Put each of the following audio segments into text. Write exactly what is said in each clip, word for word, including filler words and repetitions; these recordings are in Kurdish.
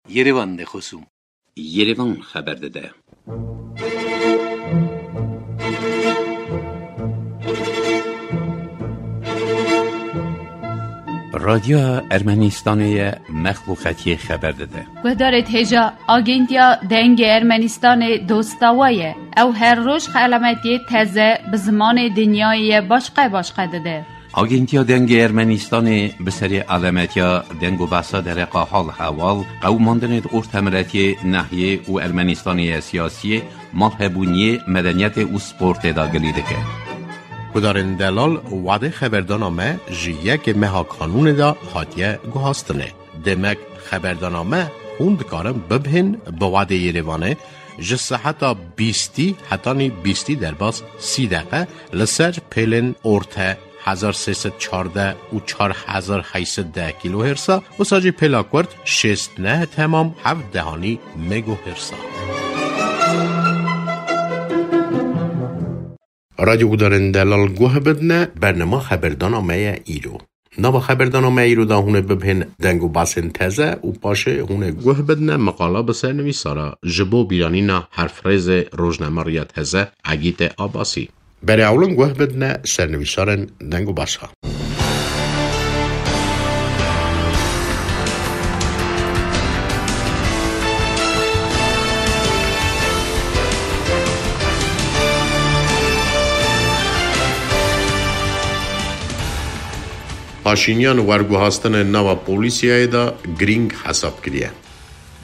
Yerevan de xosûm. Yerevan xeber dide. Radyoya Ermenistanê ye, mexluqetiyê xeber dide. Guhdarê hêja, Agentiya Dengê Ermenistanê dosta we ye. Ew her roj xelametiyê teze bi zimanê dinyayê ye başqe başqe dide. Agentiya Dengê Ermenistanê bi serê alemetiya deng û behsa dereqa hal heval, qewimandinê di ortemiletiyê, nehiyê û Ermenistanê ye siyasiyê, malhebûniyê, medeniyetê û sportê de gilî dike. Gudarên delal, wadê xeberdana me ji yekê meha kanûnê de hatiye guhastinê. Demek xeberdana me hûn dikarin bibihên bi wadê Yerevanê ji seheta bîstî hetanî bîstî derbas sî deqe li ser pêlên orte hezar sê sed çardeh û çar hezar heyt sed deh kîlohêrsa, wisa jî pêla kurt şêst neh temam heft dehanî megohêrsa. Radyo gudarên delal guh bidine, bernama xeberdana me ye îro. Nava xeberdana me îro de hûn ê bibihên deng û basên teze û paşê hûn ê guh bidine meqala bi sernivîsara ji bo bîranîna herfrêzê rojnamerîya teze Egîtê Abasî. Berê ewlin guh bidine sernivîsarên deng û basa. Paşînyan werguhastinên nava polîsiyayê de girîng hesab kiriye.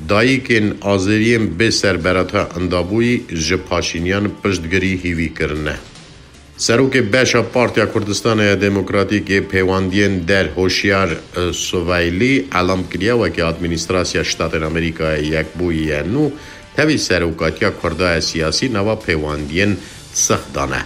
Dayikên azeriyên bê serberata indabûyî ji Paşînyan piştgirî hîvî kirine. Serokê beşa Partiya Kurdistanê ya Demokratîk ê Pêwendiyên Der Hoşyar Suvaylî elam kiriye, weke Administrasya Ştatên Amerîkayê Yekbûyî ye nû tevî serokatiya Kurda ya siyasî nava pêwendiyên six dane.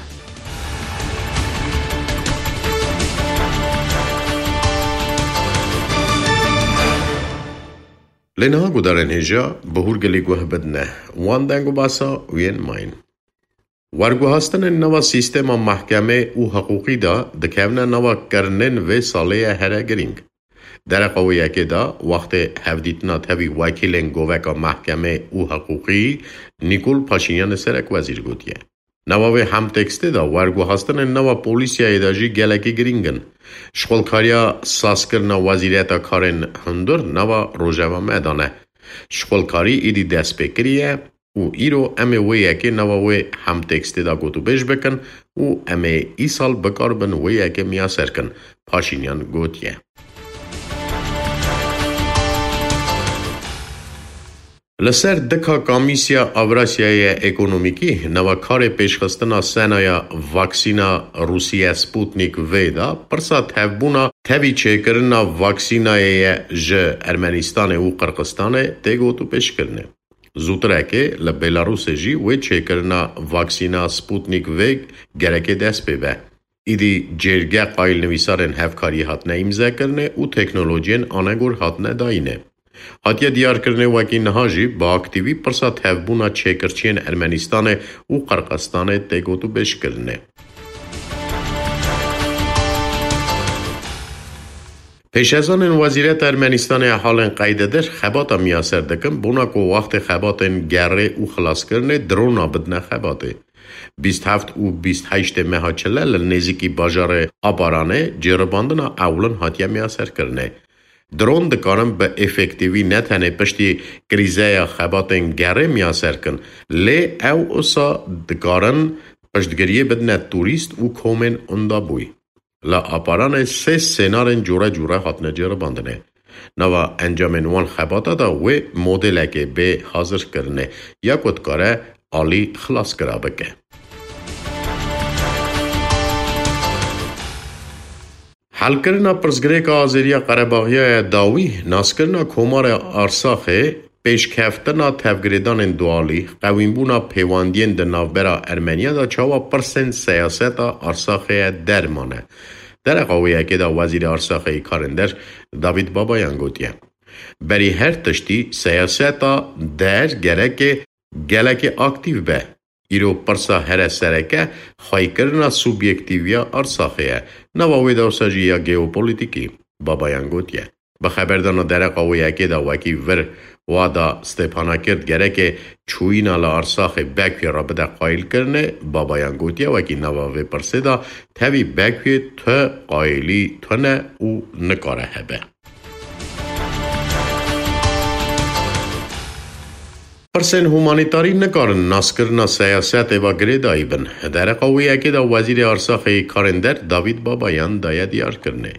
Lê niha gudarên hêja bi hûrgilî guh bidine wan deng û basa û yên mayîn. Werguhastinên nava sîstema mehkemê û hiqûqî de dikevine nava kirinên vê salê ye here girîng. Dereqa wê yekê de wextê hevdîtina tevî wekîlên goveka mehkemê û hiqûqî Nîkol Paşînyanê serekwezîr gotiye. Nava vê hemtekstê de werguhastinên nava polîsiyayê de jî gelekî girîng in. Şixulkariya sazkirina Wezîriyeta Karên Hundir nava rojeva me de ne. Şixulkarî îdî dest pê kiriye û îro em ê wê yekê nava wê hemtekstê de gotûbêj bikin û em ê îsal bikaribin wê yekê miyaser kin, Paşînyan gotiye. Li ser dika Komîsiya Avrasyayê Ekonomîkî nava karê pêşxistina senaya vaksîna Rûsiye Sputnik V de pirsa tevbûna tevî çêkirina vaksînayê ye ji Ermenistanê û Qirxistanê tê gotûbêjkirinê. Zûtireke li Belarusê jî wê çêkirina vaksîna Sputnik V gerekê dest pê be. Îdî cêrge qayîlnivîsarên hevkariyê hatine îmzekirinê û teknolojiyên anegor hatine dayînê. Hatiye diyarkirinê wekî niha jî bi aktîvî pirsa tevbûna çêkirçiyên Ermenistanê û Qirxistanê tê gotûbêjkirinê. Pêşezanên Wezîreta Ermenistanê ya Halên Qeydedir xebata miyaser dikin, bona ku wextê xebatên gerê û xilaskirinê drona bidine xebatê. Bîst heft û bîst heştê meha çile li nêzîkî bajarê Aparanê cêribandina ewlin hatiye miyaserkirinê. Dron dikarin bi efektîvî ne tenê piştî krîzeya xebatên gerê miyaser kin, lê ew usa dikarin piştgiriyê bidine turîst û komên undabûyî. Li Aparanê sê sênarên cure cure hatine cêribandinê. Nava encamên wan xebata de wê modelekê bê hazirkirinê ya ku dikare alî xilaskira bike. Helkirina pirsgirêka Azeriya Qerebaxiya ya dawî, naskirina Komara Arsaxê, pêşkeftina tevgirêdanên dualî, qewînbûna pêwendiyên di navbera Ermeniya de çawa pirsên siyaseta Arsaxê ye dermane. Dereqa wê yekê de Wezîrê Arsaxê yê Karên Der Davîd Babayan gotiye, berî her tiştî siyaseta der gereke gelekî aktîv be. Îro pirsa here sereke xweykirina subyektîviya Arsaxê ye. Nava wê de wisa jî ya geopolitîkî, Babayan gotiye. Bi xeberdana dereqa wê yekê de wekî vir Wa da Stepanakert gereke çûyîna li Arsaxê Bekuyê re bide qayîlkirinê, Babayan gotiye, wekî nava vê pirsê de tevî Bekuyê tu qayîlî tune û nikare hebe. Pirsên humanîtarî nikarin naskirina siyasetê ve girêdayî bin. Dereqa wê yekê de Wezîrê Arsaxê Karên Der Davîd Babayan daye diyarkirinê.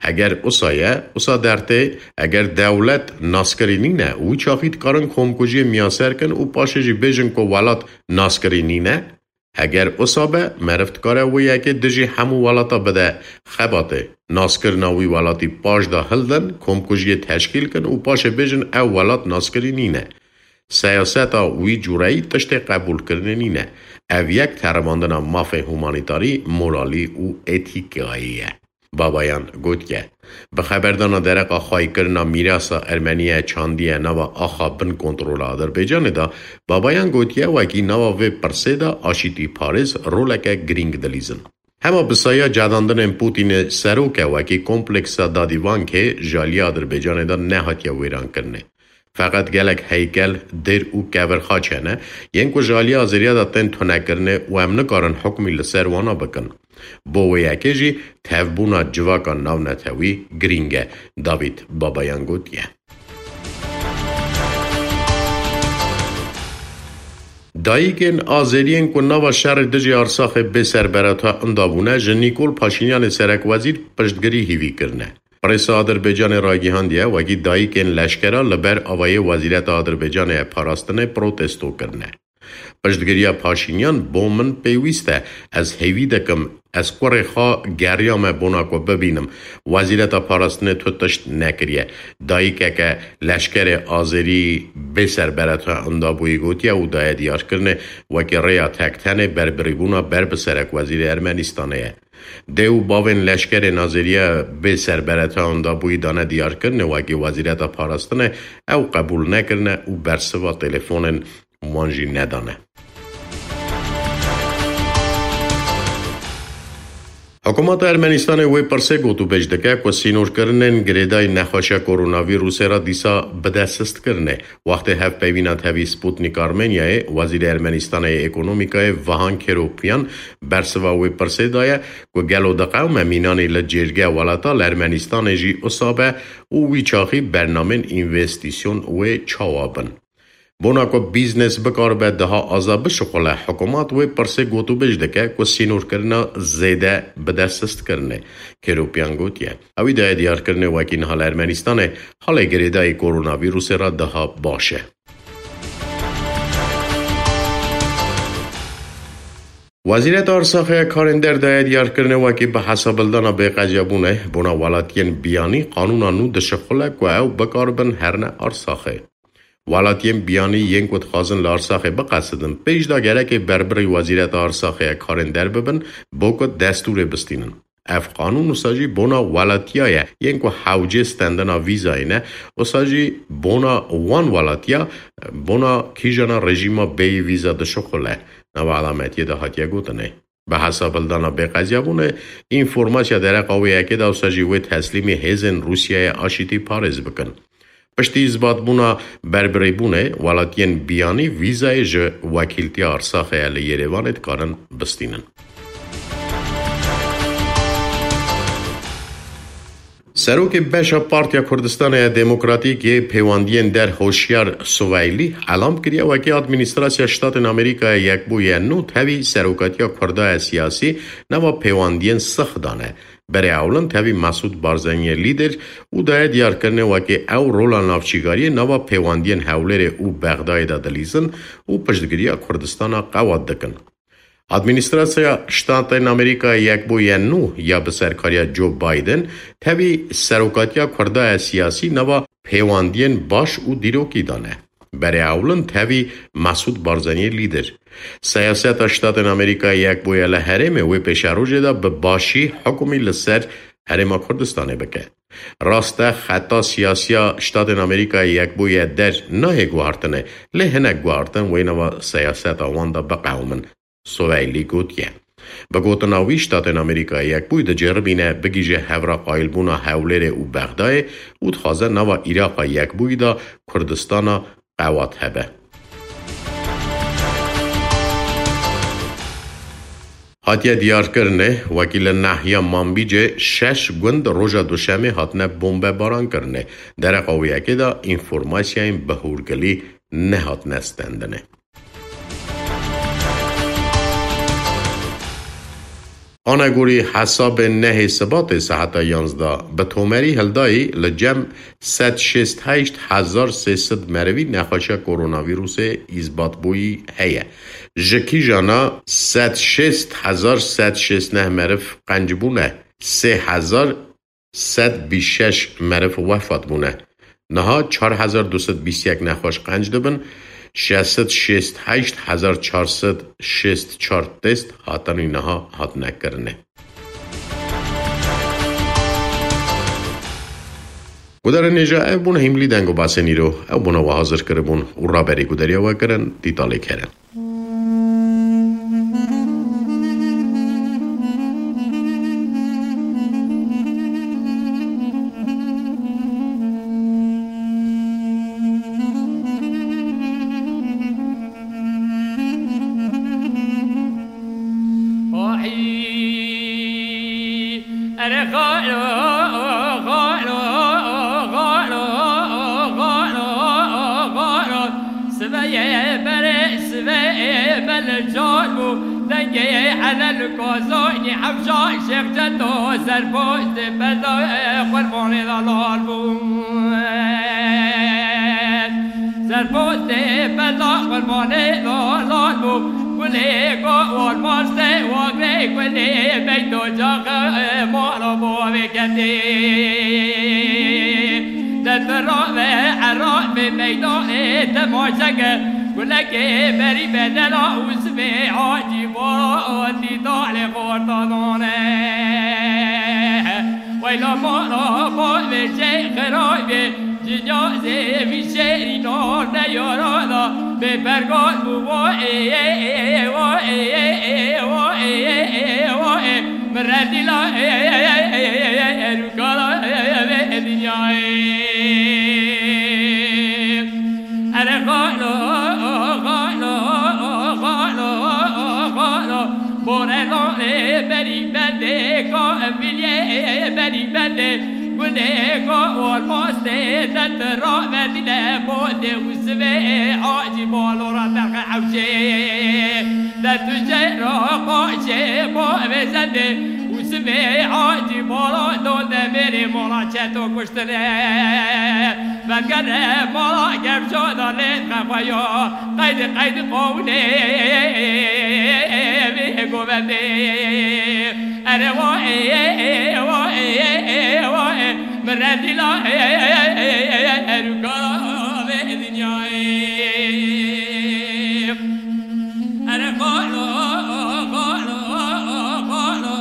Eger usa ye, usa dertê, eger dewlet naskirî nîne, wî çaxî dikarin komkujiyê miyaser kin û paşê jî bêjin ku welat naskirî nîne. Eger usa be, meriv dikare wê yekê dijî hemû welata bide xebatê. Naskirina wî welatî paş de hildin, komkujiyê teşkîl kin û paşê bêjin ew welat naskirî nîne. Siyaseta wî cûreyî tiştê qebûlkirinê nîne. Ev yek teribandina mafê humanîtarî, moralî û etîkayê ye. Babayan gotiye, bi xeberdana dereqa xwayîkirina mîrasa Ermeniye çandiye nava axa bin kontrola Adirbaycanê de, Babayan gotiye, wekî nava vê pirsê de aşîtîparêz roleke girîng dilîzin. Hema bi saya cedandinên Pûtînê serok e, wekî kompleksa Dadîvankê ji aliyê Adirbaycanê de nehatiye wêrankirinê. Feqet gelek heykel, dêr û kevirxaç hene, yên ku ji aliyê Azeriya de tên tunekirinê û em nikarin hukmî li ser wana bikin. Bo wê yekê jî tevbûna civaka navnetewî girîng e, Davîd Babayan gotiye. Dayikên Azeriyên ku nava şerê dijî Arsaxê bê serbereta inda bûne, ji Nîkol Paşînyanê serekwezîr piştgirî hîvî kirine. Presa Adirbaycanê ragihandiye, wekî dayikên leşkera li ber avayê Wezîreta Adirbaycanê ya Parastinê protesto kirine. Piştgiriya Paşînyan bo min pêwîst e. Ez hêvî dikim, ez kurê xwe geriyame bona ku bibînim. Wezîreta Parastinê tu tişt nekiriye. Dayikeke leşkerê Azerî bê serbereta indabûyî gotiye û daye diyarkirinê, wekî rêya tektenê berbirîbûna ber bi serekwezîrê Ermenistanê ye. Dê û bavên leşkerê Nazeriya bê serbereta indabûyî dane diyarkirinê, wekî Wezîreta Parastinê ew qebûl nekirine û bersiva telefonên wan jî nedane. Hikûmeta Ermenistanê wê pirsê gotûbêj dike ku sînorkirinên girêdayî nexweşiya koronavîrusê re dîsa bide sistkirinê. Wextê hevpeyvîna tevî Sputnik Armenyayê, Wezîrê Ermenistanê yê Ekonomîkayê Vahan Keropyan bersiva wê pirsê daye ku gelo diqewime mînanî li cêrge welata li Ermenistanê jî usa be û wî çaxî bernamên învestîsyon wê çawa bin. Bona ku bîznes bikaribe daha aza bişuxule, hikûmat wê pirsê gotûbêj dike ku sînorkirina zêde bide sistkirinê. Keropyan gotiye, ewî daye diyarkirinê wekî niha li Ermenistanê halê girêdayî koronavîrusê re daha baş e. Wezîreta Arsaxê ya Karên Der daye diyarkirinê wekî bi hesabildana bêqeziyabûnê bona welatiyên biyanî qanûna nû dişixule ku ew bikaribin herine Arsaxê. Welatiyên biyanî yên ku dixwazin li Arsaxê biqesidin, pêş de gerekê berbirî Wezîreta Arsaxê ya Karên Der bibin, bo ku destûrê bistînin. Ev qanûn wisa jî bona welatiya ye, yên ku hewcê stendina vîzayê ne, wisa jî bona wan welatiya, bona kîjana rejîma bêyî vîza dişuxule, nava elametiyê de hatiye gotinê. Bi hesabildana bêqeziyabûnê, înformasiya dereqa wê yekê de wisa jî wê teslîmî hêzên Rûsyayê aşîtî parêz bikin. Piştî îzbatbûna berbirêbûnê, welatiyên biyanî vîzayê ji wekîltiya Arsaxê ya li Yerêvanê dikarin bistînin. Serokê beşa Partiya Kurdistanê ya Demokratîk yê Pêwendiyên Der Hoşyar Suveylî elam kiriye, wekî Administrasya Ştatên Amerîkaya Yekbûyî ya nû tevî serokatiya Kurda ya siyasî nava pêwendiyên six dane. Berê ewlin tevî Mesûd Barzaniyê lîder û daye diyarkirinê wekî ew rola navçîgariyê nava pêwendiyên Hewlêrê û Bexdayê de dilîzin û piştgiriya Kurdistana qewat dikin. Administrasya Ştatên Amerîkaya Yekbûyî ya nû ya bi serkariya Joe Biden tevî serokatiya Kurda ya siyasî nava pêwendiyên baş û dîrokî dane. Berê ewlin tevî Mesûd Barzaniyê lîder. Siyaseta Ştatên Amerîkaya Yekbûyî ya li herêmê wê pêşerojê de bi başî hukmî li ser Herêma Kurdistanê bike. Rast e, xeta siyasiya Ştatên Amerîkaya Yekbûyî ya Der nayê guhartinê, lê hinek guhartin wê nava siyaseta wan de biqewimin. Suveylî gotiye. Bi gotina wî, Ştatên Amerîkayê Yekbûyî diceribîne bigihîje hevra qayilbûna Hewlêrê û Bexdayê û dixwaze nava Îraqa Yekbûyî de Kurdistana qewat hebe. Hatiye diyarkirinê, wekî li nahiya Manbîcê şeş gund roja Duşemê hatine bombebarankirinê. Dereqa wê yekê de înformasyayên bi hûrgilî nehatine stendinê. Anegorî hesabên nehê Sibatê saeta yanzdeh, bi tomerî hildayî li cem sed şêst heşt hezar sê sed merivî nexweşiya koronavîrusê îzbatbûyî heye. Ji kîjana sed şêst hezar sed şêst neh meriv qenc bûne, sê hezar sed bîst şeş meriv wefat bûne. Niha çar hezar du sed bîst yek nexweş qenc dibin, şeş sed şêst heşt hezar çar sed şêst çar test hatanî niha hatine kirine. Gudarên hêja, ev bûn hîmlî deng û basên îro. Ew bûna we hazir kiribûn û raberî gudariya we kirin, Dîtalê Kerem. Oy, ere xalo, xalo, xalo, xalo, xalo, xalo. Sibeyê berê, sibeyê belê car bû. Dengê Helal Kozanî, Hewşa Şêx Cedo, Serpoştê Beda, Qurbanê de lal bû. Serpoştê Beda, Qurbanê de lal bû. Gulê go olmaz te wagre, gulê beyto caxe, mala bo veketê. De tu rave, erave meydanê temaşe ke, gulekê berî bedela û sibê hacî bo dîdalê xortanane. Weyla mala bo vê şey xiraybe, Cinyazê vî şêrî nor de yara da, bê pergal bû, vo ê, ê, ê, vo ê, ê, ê, vo ê, ê, ê, vo ê, min redîla, ê, ê, ê, ê, ê, ê, rûkala, ê, ê, ê, dinyayê. Ere xalo, xalo, xalo, xalo, borelanê berî bendê, ka eviliyê berî bendê, Gulê go olmaz tê, de tu ravedîne botê û sivê acî balora berxe hewşê. De tu jê ra qaşê bo vêzendê û sivê acî bala don de mêrê mala çeto kuştine. Vegere mala gerşo da lê xefayo, qeydi qeydi qowlê vê govendê. Ere wa ê, ê, ê, wa ê, ê, ê, wa ê, min redîla ê, ê, ê, ê, ê, ê, erûka vê dinyayê. Ere xalo, xalo, xalo,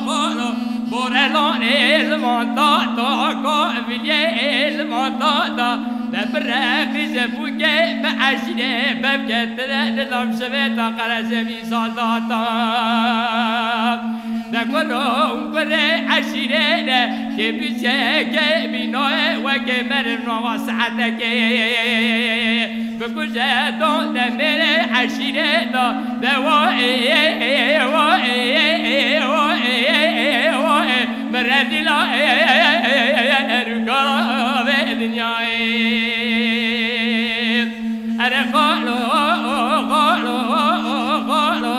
xalo, borelanê li van da, da, ka viliyê li van da, da, de bi reqî ze bûke bi eşîrê bevke tire, dilam şivê ta qerezevî. Saldata. De kuro û kurê eşîrê de, kê bîçe, kê bînoye, wekê meriv nava saetekê. Bikuje don de mêrê eşîrê de, de wo ê, ê, ê, wo ê, ê, ê, wo ê, ê, ê, wo ê, min redîla ê, ê, ê, ê, ê, rûka vê dinyayê. Ere xalo, xalo, xalo,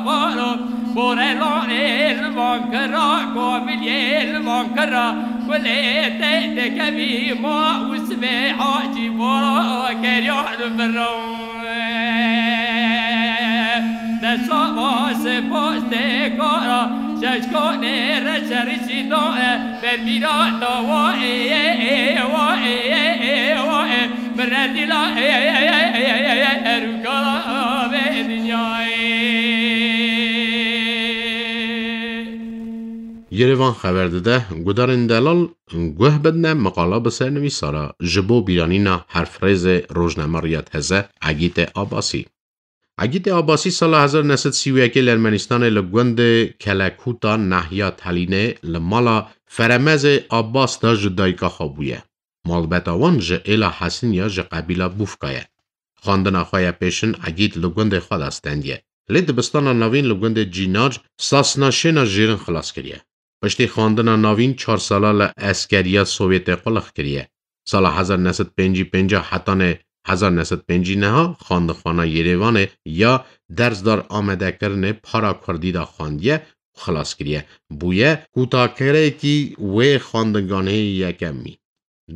xalo, borelanê li van kira, komiliyê li van kira, gulê te dekevî ma û sibê hacî bora keriya li viro. De sava sipos tê kara, şeşkonê re şerî çî da e, Bermîra da wa ê, ê, ê, wa ê, ê, ê, wa ê, min redîla ê, ê, ê, ê, ê, ê, erûka vê dinyayê. Yerevan xeber dide, gudarên delal guh bidne miqala bi sernivîsara ji bo bîranîna herfrêzê rojnamerîya teze Egîtê Abasî. Egîtê Abbasî sala hezar neh sed sî û yekê li Ermenistanê li gundê Kelekûta nahiya Telînê li mala Feremezê Abbas de ji dayika xwe bûye. Malbeta wan ji êla Hesiniya ji qebîla Bûfka ye. Xwendina xwe ya pêşin Egît li gundê xwe de stendiye. Lê dibistana navîn li gundê Cînar sasna şêna jêrin xilas kiriye. Piştî xwendina navîn çar sala li eskeriya Sovyetê quliq kiriye. Sala hezar neh sed pêncî pênc hetanê hezar neh sed pêncî neh xwendixwana Yerêvanê ya dersdar amadekirinê para kurdî de xwendiye û xilas kiriye. Bûye kûtakirekî wê xwendinganeyê yekemî.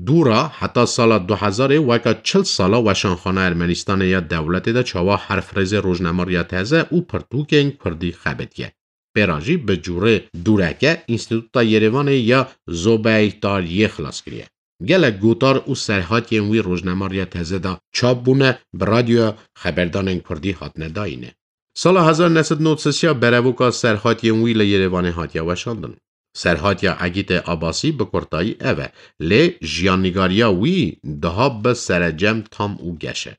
Dûra heta sala du hezarê weka çil sala weşanxana Ermenistanê ya dewletê de çawa herfrêzê rojnamariya teze û pirtûkên kurdî xebitiye. Pêra jî bi cûrê dûreke Înstîtuta Yerêvanê ya Zobeytariyê xilas kiriye. Gelek gotar û serhatiyên wî rojnamariya teze de çap bûne, bi radyoya xeberdanên kurdî hatine dayîne. Sala hezar neh sed nod sisiya berevoka serhatiyên wî li Yerêvanê hatiye weşandin. Serhatiya Egîtê Abbasî bi kurtayî ev e, lê jiyannîgariya wî daha bi serecem tam û geş e.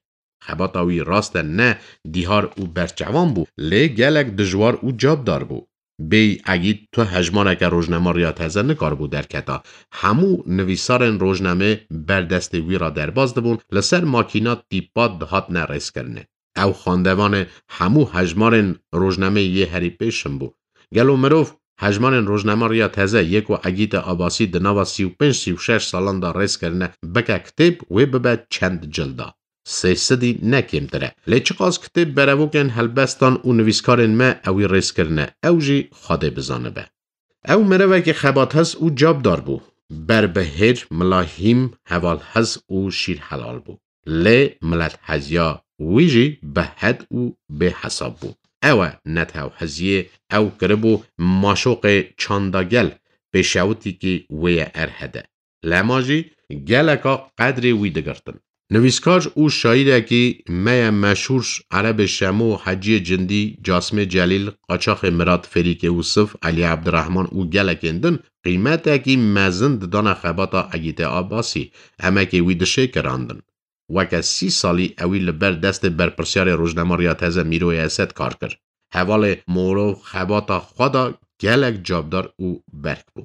Xebata wî rast e ne dîhar û berçavan bû, lê gelek dijwar û cabdar bû. Bêyî Egît tu hejmareke rojnamariya teze nikaribû derketa. Hemû nivîsarên rojnamê ber destê wî re derbas dibûn, li ser makîna tîpa dihatine rêzkirinê. Ew xwendevanê hemû hejmarên rojnameyê yê herî pêşin bû. Gelo mirov hejmarên rojnamariya teze yê ku Egîtê Abbasî di nava sî û pênc sî û şeş salan de rêz kirine bike kitêb, wê bibe çend cilda. Sê sedî ne kêmtir e. Lê çiqas kitêb berevokên helbestan û nivîskarên me ewî rêz kirine, ew jî Xwedê bizanibe. Ew merevekî xebathez û cabdar bû. Ber bi hêr, milahîm, hevalhez û şîrhelal bû. Lê miletheziya wî jî bi hed û bêhesab bû. Ew e netewheziyê ew kiribû maşoqê çanda gel, pêşewitîkî wê ye erhede. Lema jî geleka qedrê wî digirtin. Nivîskar û şaîrekî me ye meşhûr Erebê Şemo, Heciyê Cindî, Casimê Celîl, Qaçaxê Mirat, Fêrîkê Ûsif, Elî Ebdirehman û gelekên din qîmetekî mezin didane xebata Egîtê Abbasî, emekê wî dişêkirandin. Weke sî salî ewî li ber destê berpirsiyarê rojnamariya teze Mîroyê Esed kar kir. Hevalê mirov xebata xwe de gelek cabdar û berk bû.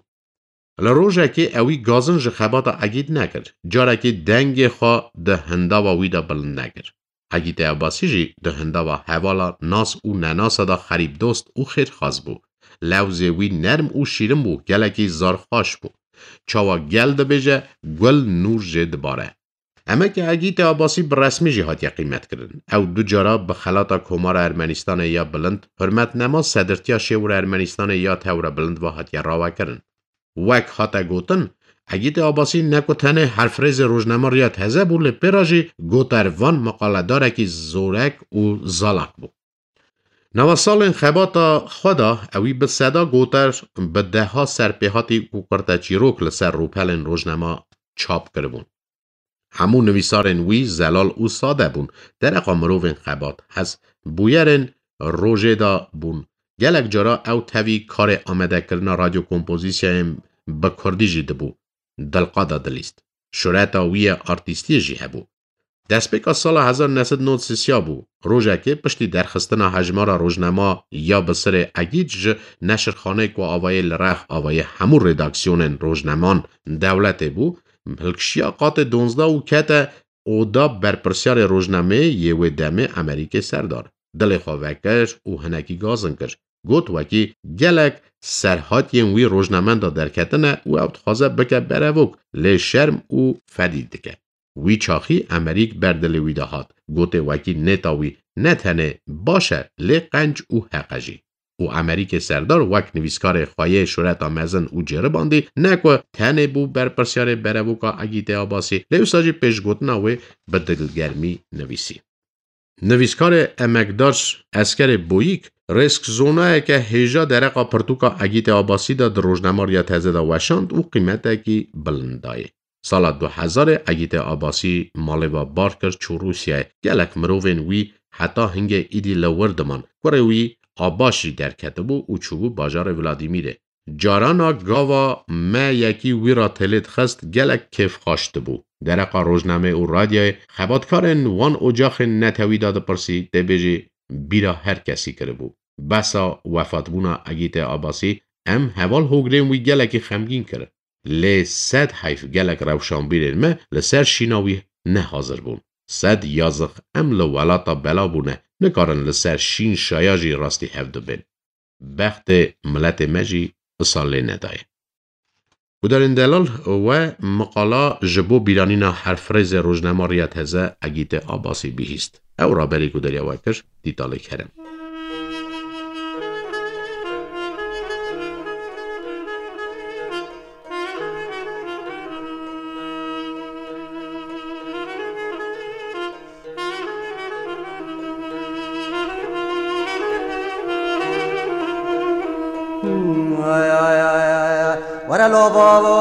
Li rojekê ewî gazin ji xebata Egît nekir. Carekê dengê xwe di hindava wî de bilind nekir. Egîtê Abbasî jî di hindava hevala nas û nenasa de xerîbdost û xêrxwaz bû. Lewzê wî nerm û şîrin bû, gelekî zarxweş bû. Çawa gel dibêje, gul nûr jê dibare. Emekê Egîtê Abbasî bi resmî jî hatiye qîmetkirin. Ew du cara bi xelata Komara Ermenistanê ya Bilind, hurmetnema sedirtiya Şêwira Ermenistanê ya Tewrebilind ve hatiye ravekirin. Wek hate gotin, Egîtê Abbasî ne ku tenê herfrêzê rojnamariya teze bû, lê pê re jî gotervan, meqaledarekî zorek û zalak bû. Nava salên xebata xwe de ewî bi seda goter, bi deha serpêhatî û qirteçîrok li ser rûpelên rojnama çap kiribûn. Hemû nivîsarên wî zelal û sade bûn, dereqa mirovên xebat, hez bûyerên rojê de bûn. Gelek cara ew tevî karê amadekirina radyokompozîsyayên bi kurdî jî dibû, dilqa de dilîst. Şureta wî ye artîstiyê jî hebû. Destpêka sala hezar neh sed nod sisiya bû. Rojekê piştî derxistina hejmara rojnama ya bi sirê Egît ji neşirxaneyê ku avayê li rex avayê hemû redaksiyonên rojnaman dewletê bû, hilkişiya qatê donzdeh û kete oda berpirsiyarê rojnameyê yê wê demê Emerîkê Serdar. Dilê xwe vekir û hinekî gazin kir. Got wekî gelek serhatiyên wî rojnamenda derketine û ew dixwaze bike berevok, lê şerm û fedî dike. Wî çaxî Emerîk ber dilê wî de hat. Gotê wekî nêta wî ne tenê baş e, lê qenc û heq e jî. Û Emerîkê Serdar wek nivîskarê xwe yê şureta mezin û ceribandî ne ku tenê bû berpirsiyarê berevoka Egîtê Abbasî, lê wisa jî pêşgotina wê bi dilgermî nivîsî. Nivîskarê emekdar Eskerê Boyîk rêskzonayeke hêja dereqa pirtûka Egîtê Abbasî de di rojnamariya teze de weşand û qîmetekî bilind dayê. Sala du hezarê Egîtê Abbasî malê ve bar kir, çû Rûsyayê. Gelek mirovên wî heta hingê îdî li wir diman. Kurê wî Abaş jî derketibû û çûbû bajarê Vladîmîrê. Carana gava me yekî wî re têlê dixist, gelek kêfxweş dibû. Dereqa rojnameyê û radyayê xebatkarên wan ocaxên netewî de dipirsî, tê bêjî, bîra her kesî kiribû. Besa wefatbûna Egîtê Abasî em heval hogirên wî gelekî xemgîn kirin. Lê sed heyf gelek rewşanbîrên me li ser şîna wî ne hazir bûn. Sed yazix em li welata bela bûne, nikarin li ser şîn şaya jî rastî hev dibên. Bextê miletê me jî wisa lê nedaye. Gudarên delal, we miqala ji bo bîranîna herfrêzê rojnamariya teze Egîtê Abasî bihîst. Ew raberî gudariya we kir, Dîtalê Kerem. Were lo bavo,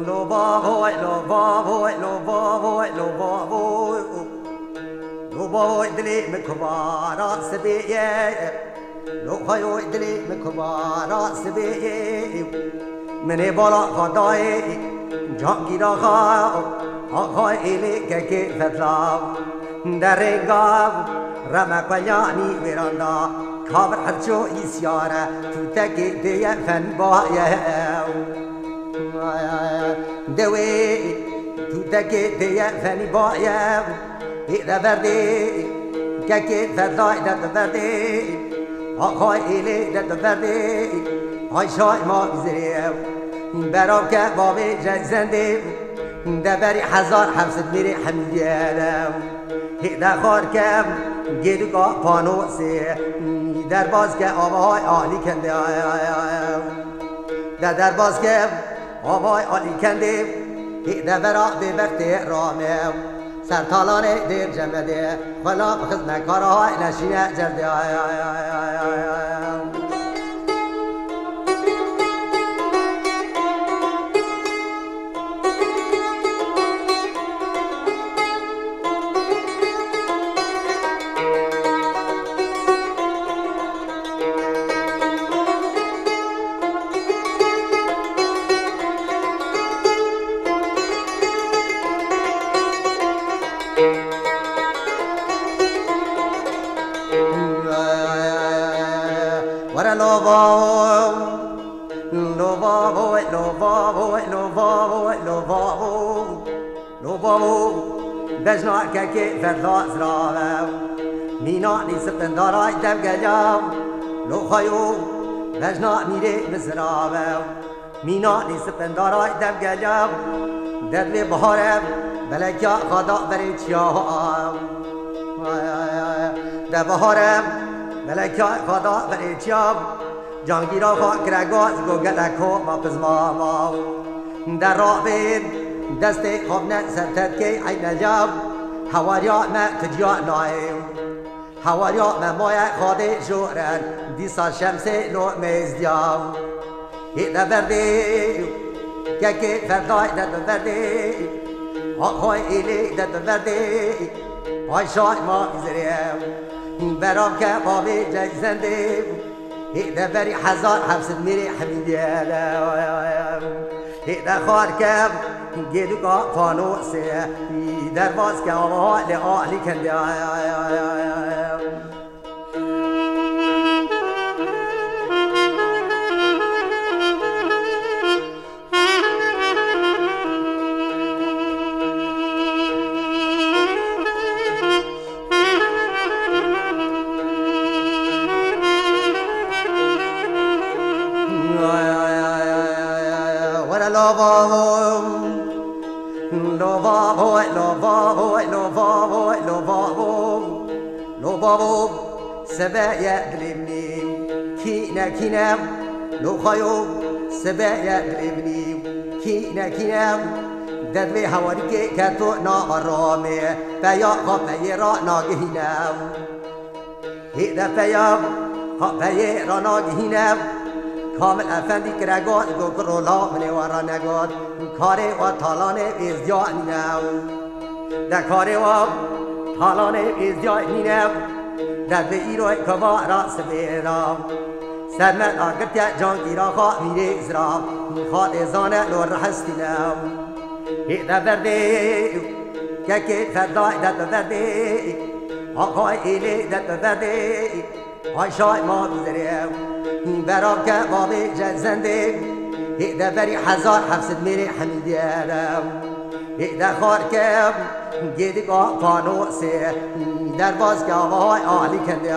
lo bavo, lo bavo, lo bavo, lo bavo. Lo bavo dilê min kubara sibê ye. Lo xweyo dilê min kubara sibê ye. Min ê bala xwe dayê cangîra xwe, axa êlê kekê fetla. Derêga reme qeyanî wêranda, kavir her ço îsyare, tûtekê dêye fenî baye. Dewê tûtekê dêye fenî baye. Hê de verdê, kekê fedayê de tu verdê, axay êlê de tu verdê, ay şay ma bizirê. Berav ke bavê Ceysendê, de berî hezar heft sed mêrê hemî diyere. Hê de xar ke gêdika panosê, derbaz ke avahay alî kendê. De derbaz ke Avay Alî Kendê, hê devera bêbextê rame. Ser talanê dêr cemedê, xwela bi xizmekara hay neşîne cerdê. Were lo bavo, lo bavo, lo bavo, lo bavo, lo bavo. Lo bavo, bejna kekê fedla zirave. Mîna nî sipindaray devgeliya. Lo xayo, bejna mîrê mizirave. Mîna nî sipindaray devgeliya. Devlê bihare, belekya xada berê çiya. De bihare, belekya xada berê çiya. Cangîra xwe kire gaz, go gelek ho ma pizma ma. Derabê destê xwe bine ser tetkê eyneya. Hewariya me tu ciya nayê. Hewariya me maye xadê joren, dîsa şemsê lo mêzdiya. Hê de verdê, kekê ferdayê de tu verdê. Axay êlê de tu verdê. Ay şay ma izrê. Berav ke bavê Ceysendê. Hê de berî hezar heft sed mêrê hemî diyere. Hê de xar ke gêdika panosê. Derbaz ke ava lê alî kendê. Were lo bavo, lo bavo, lo bavo, lo bavo, lo bavo. Lo bavo, sebe ye dilê min ê. Kîne, kîne, lo xayo, sebe ye dilê min ê. Kîne, kîne, derdvê hewarîkê ke to nava ramê. Peya xwe peyê ra nagihîne. Hê de peya xwe peyê ra nagihîne. Kamil Efendî kire got, go kiro la min ê we ra negot. Karê we talanê êzdiya nîne. De karê wa talanê êzdiyayê nîne, de bi îroyê kevara sibê ra. Ser me dagirtiye cangîra xwe mîrê zira, xwe dê zane lo rihestîne. Hê de verdê, kekê ferdayê de bi verdê, Axay êlê de tu verdê, ay şay ma bizerê. Bera ke bavê je zendê, hê de berî hezar heft sed mêrê hemîdiye de. Hê de xar ke gêdik a panosê, derbas ke avay alî kendê.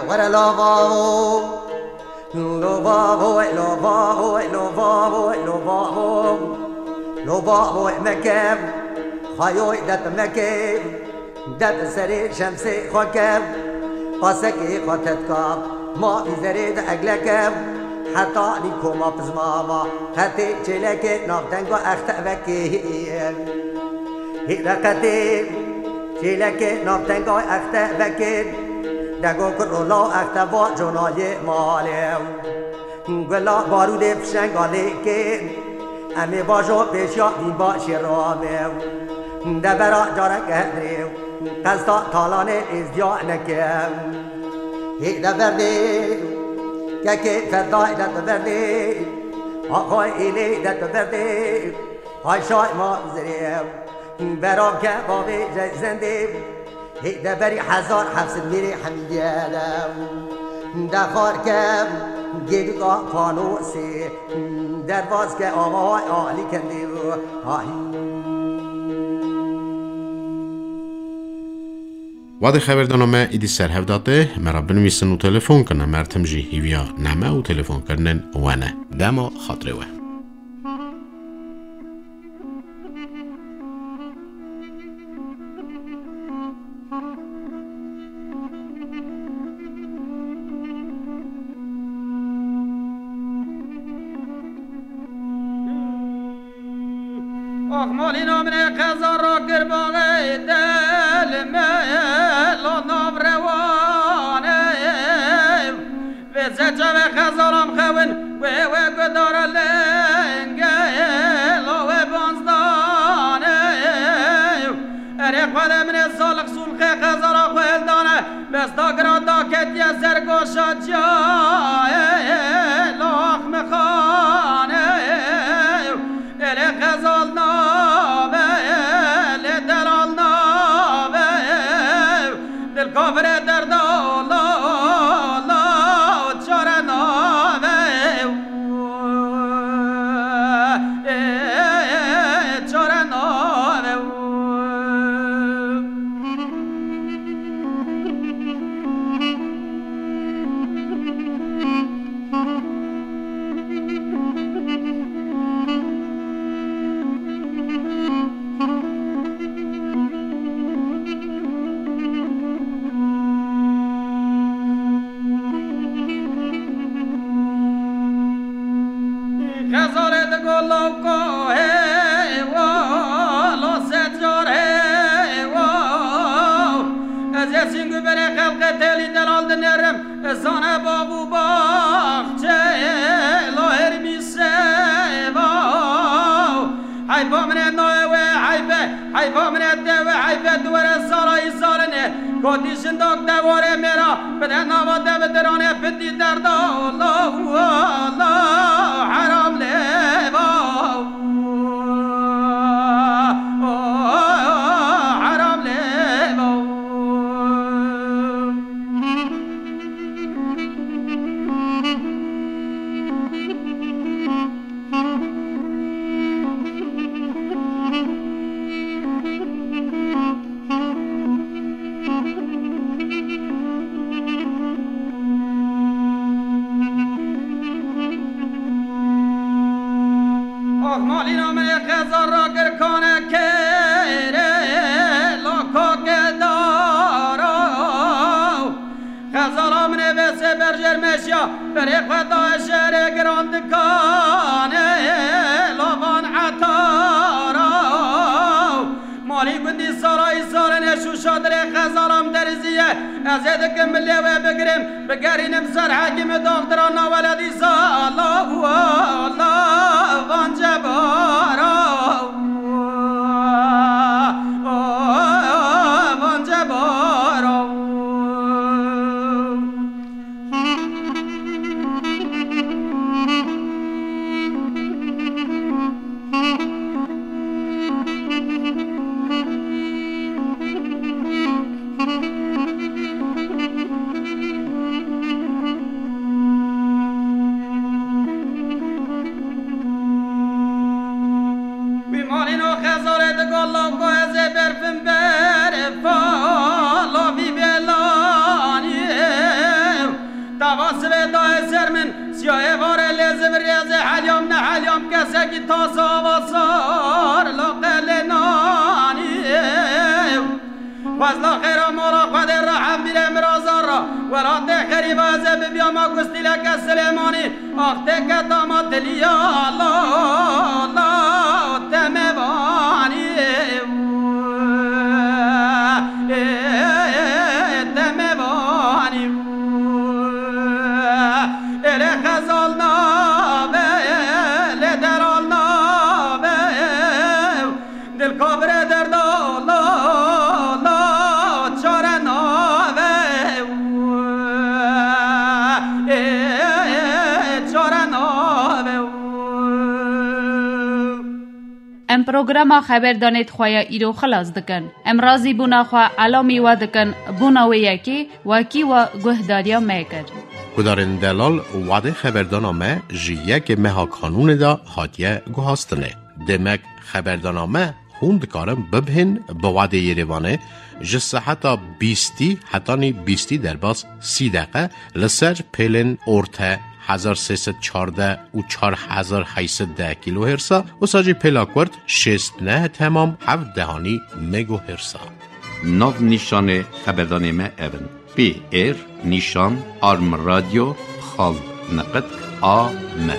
Were lava. Lo bavo, lo bavo, lo bavo, lo bavo. Lo bavo meke, xayoy det meke. Det serê şemsê xwe ke. Pasekê xwe tetka, ma vî zerê de egleke. Heta nî koma pizmava, qetê çêlekê navtenga exte vekê. Hê reqetê çêlekê navtenga exte vekê. Dego kuro law exte va conayê malê. Gula barûdê fişenga lêkê. Em ê bajo pêşiya vîn başê ramê. Devera careke hedrê. Qesta talanê êzdiya neke. Hê de verdê. Kekê fedayê de tu verdê. Axay êlê de tu verdê. Ay şay ma zirê. Bera ke bavê je zendê. Hê de berî hezar heft sed mêrê hemîdiye de. De xar ke gêdika panosê. Derbas ke avay alî kendê. Ay. Wadê xeverdana me îdî ser hev datê, me re binivîsin û telefon kin, me tim jî hîviya name û telefonkirinên we ne. Dema xatirê we. Ax malîna min ê qeza rakir baxê del me lo nav rewanê. Vê zeçe ve xezaram xewin wê wê gudara lenge lo wê banzdanê. Erê xwede min ê salix sulxê xezara xwe hildane. Besta gira daketiye ser goşa ciyayê, lax mixanê. Êlê xezal nabe, lê delal nabe. Dil kafirê derda la, la, çare nabe. Ê, çare nabe. Xezalê digo lawka hêwa, lo secar hêwa. Ez ê sîngu berê xelqê têlî delal dinêrim, zane bav û baxçê, lo hêrmî sêva. Heyfa min e nayê wê heyfe, heyfa min e tê wê heyfe, di were sara îsarinê. Kotî jindak dewarê mêra, bide nava devidiranê, pitî derda, la, la, heram lêva. Heram lêva. Ax malîna min ê xezar ra girkane kêrê, la kakê dara. Xezala min ê vêsê berjêr meşiya, berê xwe daye şerê giran dikanê, lavan etara. Malî gundî sarayî sarinê, şûşa dirê xezala min deriziye, Ez ê dikim milê wê bigirim, bigerînim ser hekîmê doxtira naweledî zala û ala van cebara. Van cebara. Wî malîno xezalê digot, lawko ez ê berfim ber fala vî belanî. Tava sivê dayê ser min, siyayê varê lê zivirê ez ê helyam neheliyam kesekî tasa ava sar laqelê nanî. Xwezla xêra mala xwe dê rehem bîre mirazar ra. Welatê xerîba ez ê bibiyama gustîleke Silêmanî. Ax tê keta ma tiliya la, la, temevanî. Ê, temevanî. Ê lê xezal nabe, lê deral nabe. Dil kabire derda la, la, çare nave. Ê, çare nave. Em programa xeberdanê xwe ya îro xilas dikin. Em razîbûna xwe elamî we dikin, bona wê yekê wekî we guhdariya me kir. Guhdarên delal, wadê xeberdana me ji yekê meha Kanûnê de hatiye guhastinê. Demek xeberdana me hûn dikarin bibihên bi wadê Yerêvanê ji seheta bîstî hetanî bîstî derbas sî deqe li ser pêlên orte hezar sê sed çardeh û çar hezar heyt sed deh kilohertsa, wisa jî pêla kurt şêst neh temam heft dehanî megohertsa. Nav nîşanê xeberdanê me ev in: P R nîşan arm radio xal niqitk A M.